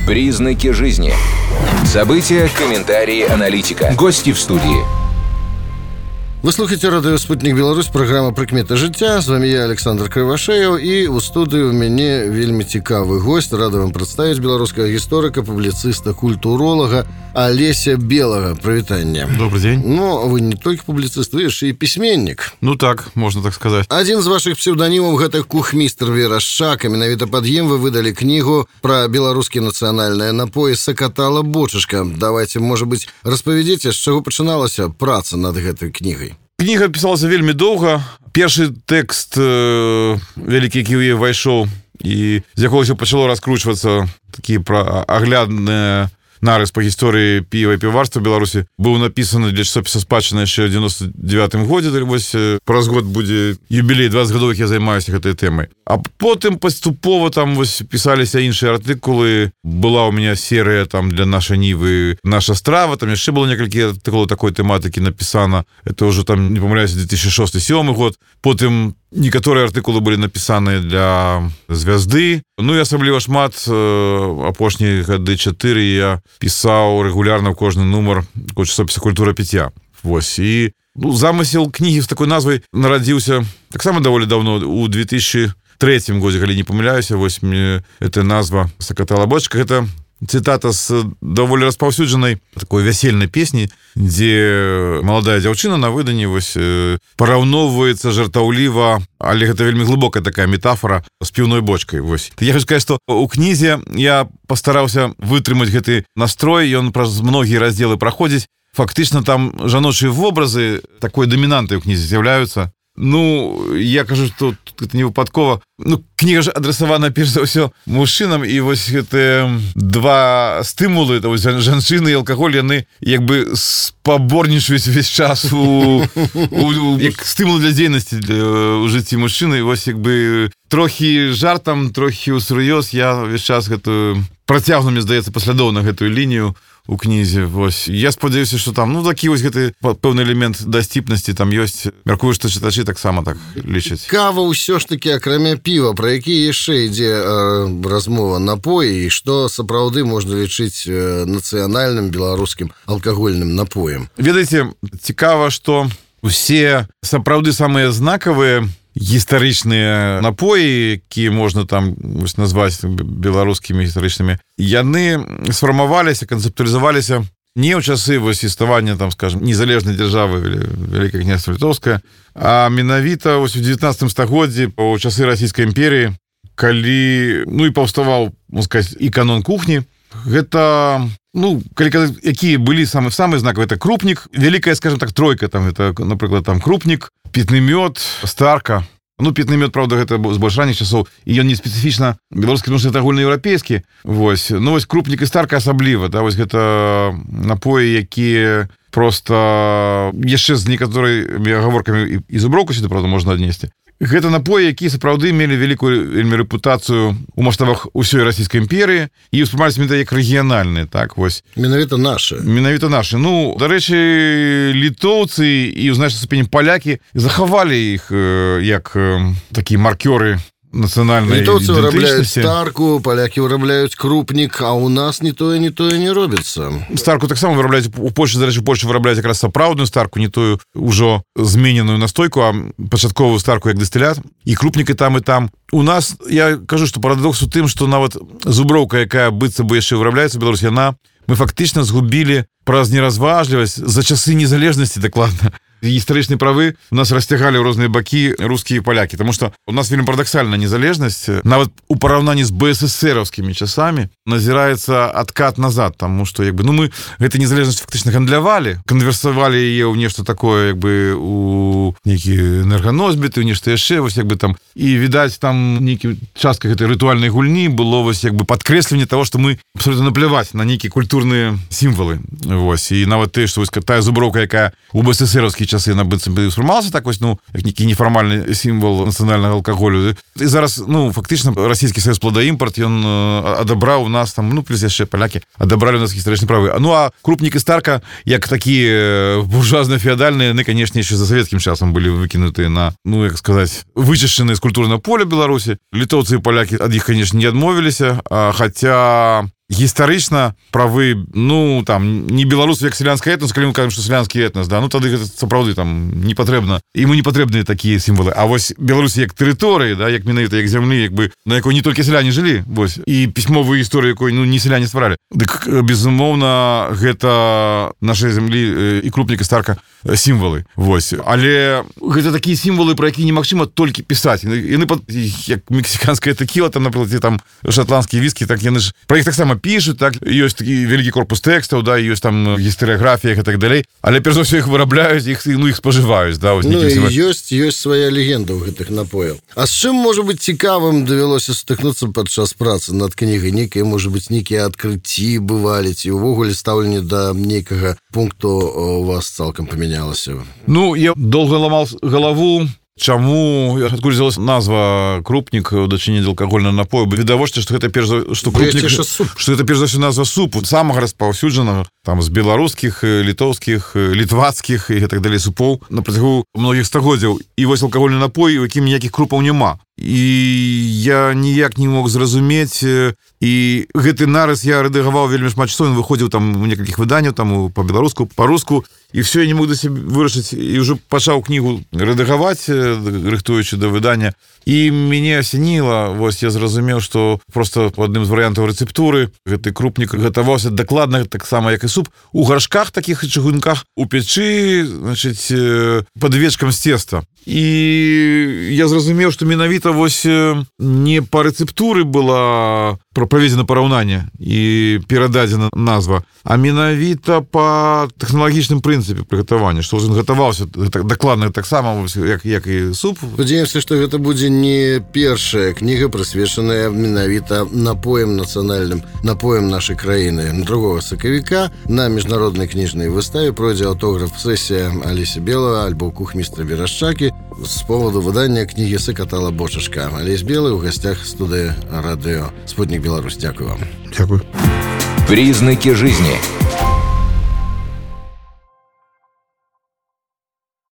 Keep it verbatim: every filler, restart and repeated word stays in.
Признаки жизни. События, комментарии, аналитика. Гости в студии. Вы слухаете радио «Спутник Беларусь», программа «Прыкметы жыцця». З вами я, Александр Кривошеев, і у студыі ў мяне вельмі цікавы гость. Рада вам прадставіць беларускага гісторыка, публіцыста, культуролага Алеся Белага. Прывітанне. Добрый день. Ну, вы не только публицист, вы яшчэ і пісьменнік. Ну так, можно так сказать. Адзін з вашых псевданімаў — гэта кухмістр Верашчак, і менавіта пад ім вы выдалі кнігу пра беларускія нацыянальныя напоі «Сакатала бочачка». Давайте, может быть, распавядзіце, з чаго пачыналася праца над гэтай кнігай. Кніга пісалася вельмі доўга. Першы тэкст э, вялікі, які ў яе ўвайшоў, і з якога ўсё пачало раскручвацца, такі пра аглядныя нарыс па гісторыі піва і піварства ў Беларусі, быў напісаны для часопіса «Спадчына» яшчэ ў девяносто девятым годзе. Вось праз год будзе юбілей двадцать гадоў, як я займаюся гэтай тэмай. А потым паступова там вось пісаліся іншыя артыкулы. Была ў мяне серыя там для нашай Нівы «Наша страва», там яшчэ было некалькі артыкулаў такой тэматыкі напісана. Это ўжо там, не памыляюся, две тысячи шосты — две тысячи седьмы год. Потым некаторыя артыкулы былі напісаны для «Звязды». Ну і асабліва шмат, апошнія гады чатыры я пісаў рэгулярна ў кожны нумар часопіса «Культура піцця». Вось. І ну, замысел кнігі з такой назвай нарадзіўся таксама даволі даўно, у две тысячи третьем годзе, калі не памыляюся. Вось мне эта назва «Сакатала бочачка» — гэта цытата з даволі распаўсюджанай такой вясельнай песні, дзе маладая дзяўчына на выданні вось параўноўваецца жартаўліва, але гэта вельмі глыбокая такая метафора з піўной бочкай. Вось. Я хочу сказаць, што у кнізе я пастараўся вытрымаць гэты настрой, ён праз многія раздзелы праходзіць. Фактычна там жаночыя вобразы такой дамінантай у кнізе з'яўляюцца. Ну, я кажу, што это не выпадкова. Ну, кніга ж адрасавана перш за ўсё мужчынам, і вось гэтыя два стымулы, вось жанчыны і алкаголь, яны як бы спаборнічаюць увесь час у, у, у як стымул для дзейнасці ў жыцці мужчыны. Вось як бы трохі жартам, трохі ўсур'ёз я ўвесь час гэтую працягну, мне здаецца, паслядоўна гэтую лінію у кнізе. Вось. Я спадзяюся, што там, ну, такі вось гэты пэўны элемент дасціпнасці там ёсць. Мяркую, што чытачы таксама так лічаць. Кава ўсё ж такі, акрамя піва, пра які яшчэ ідзе э, размова, напоі, і што сапраўды можна лічыць э, нацыянальным беларускім алкагольным напоем? Ведаеце, цікава, што усе сапраўды самыя знакавыя гістарычныя напоі, якія можна там вось назваць беларускімі гістарычнымі, яны сфармаваліся, канцэптуалізаваліся не ў часы вось існавання, там, скажем, незалежнай дзяржавы Вялікае княства Літоўскае, а менавіта вось у дзевятнаццатым стагоддзі, у часы Расійскай імперіі, калі, ну, і паўставаў, можна сказаць, і канон кухні. Гэта, ну, калі казаць, якія былі самыя самыя знакавыя, это крупнік, вялікая, скажем так, тройка, там, это, напрыклад, там крупнік, пітны мёд, старка. Ну, пітны мёд, правда, гэта з больш ранніх часоў, і ён не спецыфічна беларускі, тому што гэта агульнаеўрапейскі. Вось. Ну, вось крупнік і старка асабліва, да, вось гэта напоі, якія проста яшчэ з некаторымі агаворкамі і зуброўку сюды, правда, можна аднесці. Гэта напоі, якія сапраўды мелі вялікую вельмі рэпутацыю ў маштабах усёй Расійскай імперіі і ўспрымаліся менавіта як рэгіянальныя, так, вось. Менавіта нашы. Менавіта нашы. Ну, дарэчы, літоўцы і ў значнай ступені палякі захавалі іх э, як э, такія маркёры нацыянальнай літоўцы вырабляюць ідэнтычнасці. старку, палякі вырабляюць крупнік, а ў нас не тое, не тое не робіцца. Старку таксама вырабляюць у Польшчы, дарэчы, у Польшчы вырабляюць якраз сапраўдную старку, не тую ўжо змененую настойку, а пачатковую старку як дыстылят. І крупнікі там і там. У нас, я кажу, што парадокс у тым, што нават зуброўка, якая быццам бы яшчэ вырабляецца ў Беларусі, яна мы фактычна згубілі праз неразважлівасць за часы незалежнасці, дакладна. Гістарычныя правы у нас расцягалі ў розныя бакі рускія і палякі, таму што у нас вельмі парадаксальная незалежнасць, нават у параўнанні з БССРаўскімі часамі назіраецца адкат назад, таму што як бы, ну, мы гэту незалежнасць фактычна гандлявалі, канверсавалі яе ў нешта такое, як бы у нейкі энерганосьбіты, у нешта яшчэ, вось як бы там, і відаць там нейкі частка гэтай рытуальнай гульні было вось як бы падкрэсленне таго, што мы абсолютно напляваць на нейкія культурныя сімвалы. Вось, і нават тое, што вось тая зуброўка, якая у БССРаўскі часы яна быццам бы сфармавалася так вось, ну, як нейкі нефармальны сімвал нацыянальнага алкаголю. І зараз, ну, фактычна расійскі саюз пладаімпарт, ён адабраў у нас там, ну, плюс яшчэ палякі адабралі у нас гістарычныя правы. Ну, а крупнік і старка, як такія буржуазна-феадальныя, яны, канешне, яшчэ за савецкім часам былі выкінутыя на, ну, як сказаць, вычышчаныя з культурнага поля Беларусі. Літоўцы і палякі ад іх, канешне, не адмовіліся, а, хаця гістарычна правы, ну, там, не беларусаў як сялянскі этнос, калі мы кажам, што сялянскі этнос, да, ну, тады гэта сапраўды там не патрэбна. Іму не патрэбныя такія сімвалы. А вось Беларусі як тэрыторыі, да, як менавіта як зямлі, як бы, на якой не толькі сяляне жылі, вось, і пісьмовую гісторыю, якой, ну, не сяляне стваралі. Дык, безумоўна, гэта нашай зямлі і крупніка старка сімвалы, вось. Але гэта такія сімвалы, пра якія немагчыма толькі пісаць. Яны, як мексіканская тэкіла, там, напрыклад, там шатландскія віскі, так яны ж пра іх таксама пишут, так, ёсць такі вялікі корпус тэкстаў, да, ёсць там гістарыяграфія і так далей, але перш за ўсё іх вырабляюць, іх, ну, іх спажываюць, да, вось. Ну, і ёсць, ёсць свая легенда ў гэтых напояў. А з чым, можа быць, цікавым давялося сутыкнуцца падчас працы над кнігай? Нейкія, можа быць, нейкія адкрыцці бывалі, ці ўвогуле стаўленне да нейкага пункту у вас цалкам памянялася? Ну, я доўга ламаў галаву, чаму, адкуль взялась назва крупнік у дачыненні да алкагольнага напою? Відавочна, што гэта перш за што крупнік, што гэта перш за ўсё назва супу, самага распаўсюджанага, там, з беларускіх, літоўскіх, літвацкіх і так далей супоў на працягу многіх стагоддзяў. І вось алкагольны напой, у якім ніякіх крупаў няма. І я ніяк не мог зразумець, і гэты нарыс я рэдагаваў вельмі шмат часоў, ён выходзіў там у некалькіх выданняў, там па-беларуску, па-руску, і все, я не мог да сябе вырашыць, і ўжо пачаў кнігу рэдагаваць, рыхтуючы да выдання, і мяне асяніла, вось я зразумеў, што проста адным з варыянтаў рэцэптуры гэты крупнік гатаваўся дакладна таксама, як і суп, у гаршках такіх чыгунках, у печы, значыць, пад вечкам з цеста. І я зразумеў, што менавіта вось не па рэцэптуры была праведзена параўнанне і перададзена назва, а менавіта па тэхналагічным прынцыпе прыгатавання, што ён гатаваўся дакладна таксама, як, як і суп. Спадзяемся, што гэта будзе не першая кніга, прысвечаная менавіта напоям нацыянальным, напоям нашай краіны. другога сакавіка на міжнароднай кніжнай выставе пройдзе аўтограф-сесія Алесі Белава, альбо кухмістра Верашчакі з поводу выдання кнігі «Сакатала бочачка». Алесь Белы ў гасцях студыі радыё «Спутник Беларусь». Дякую вам. Дякую. Признаки жизни.